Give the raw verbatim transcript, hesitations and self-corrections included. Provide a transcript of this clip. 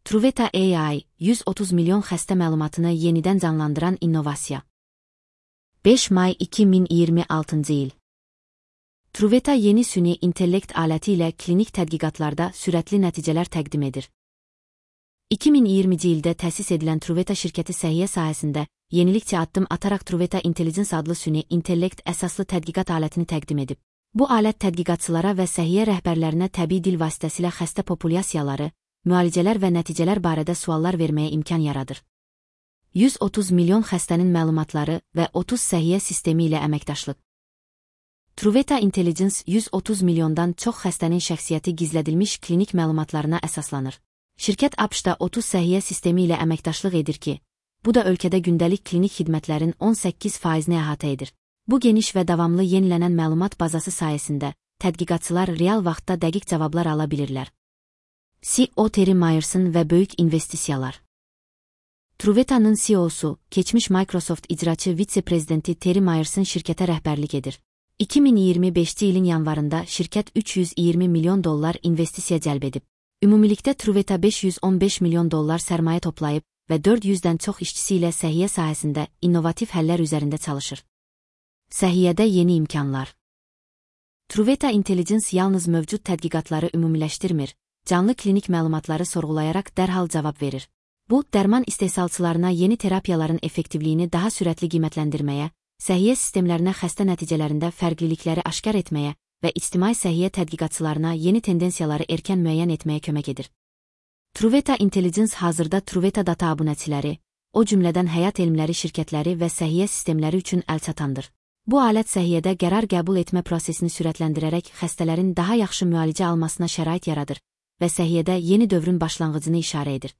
Truveta A I, yüz otuz milyon xəstə məlumatını yenidən canlandıran innovasiya. beş may iki min iyirmi altıncı il. Truveta yeni süni intellekt aləti ilə klinik tədqiqatlarda sürətli nəticələr təqdim edir. iki min iyirminci ildə təsis edilən Truveta şirkəti səhiyyə sahəsində yenilikçə addım ataraq Truveta Intelligence adlı süni intellekt əsaslı tədqiqat alətini təqdim edib. Bu alət tədqiqatçılara və səhiyyə rəhbərlərinə təbii dil vasitəsilə xəstə populyasiyaları, müalicələr və nəticələr barədə suallar verməyə imkan yaradır. yüz otuz milyon xəstənin məlumatları və otuz səhiyyə sistemi ilə əməkdaşlıq. Truveta Intelligence yüz otuz milyondan çox xəstənin şəxsiyyəti gizlədilmiş klinik məlumatlarına əsaslanır. Şirkət ABŞ-da otuz səhiyyə sistemi ilə əməkdaşlıq edir ki, bu da ölkədə gündəlik klinik xidmətlərin on səkkiz faizini əhatə edir. Bu geniş və davamlı yenilənən məlumat bazası sayəsində tədqiqatçılar real vaxtda dəqiq cavablar ala bilirlər. C E O Terry Myerson və böyük investisiyalar. Truveta'nın C E O'su, keçmiş Microsoft icraçı vitse-prezidenti Terry Myerson şirkətə rəhbərlik edir. iki min iyirmi beşinci ilin yanvarında şirkət üç yüz iyirmi milyon dollar investisiya cəlb edib. Ümumilikdə Truveta beş yüz on beş milyon dollar sərmayə toplayıb və dörd yüzdən çox işçisi ilə səhiyyə sahəsində innovativ həllər üzərində çalışır. Səhiyyədə yeni imkanlar. Truveta Intelligence yalnız mövcud tədqiqatları ümumiləşdirmir, canlı klinik məlumatları sorğulayaraq dərhal cavab verir. Bu, dərman istehsalçılarına yeni terapiyaların effektivliyini daha sürətli qiymətləndirməyə, səhiyyə sistemlərinə xəstə nəticələrində fərqlilikləri aşkar etməyə və ictimai səhiyyə tədqiqatçılarına yeni tendensiyaları erkən müəyyən etməyə kömək edir. Truveta Intelligence hazırda Truveta data abunəçiləri, o cümlədən həyat elmləri şirkətləri və səhiyyə sistemləri üçün əlçatandır. Bu alət səhiyyədə qərar qəbul etmə prosesini sürətləndirərək xəstələrin daha yaxşı müalicə almasına şərait yaradır və səhiyyədə yeni dövrün başlanğıcını işarə edir.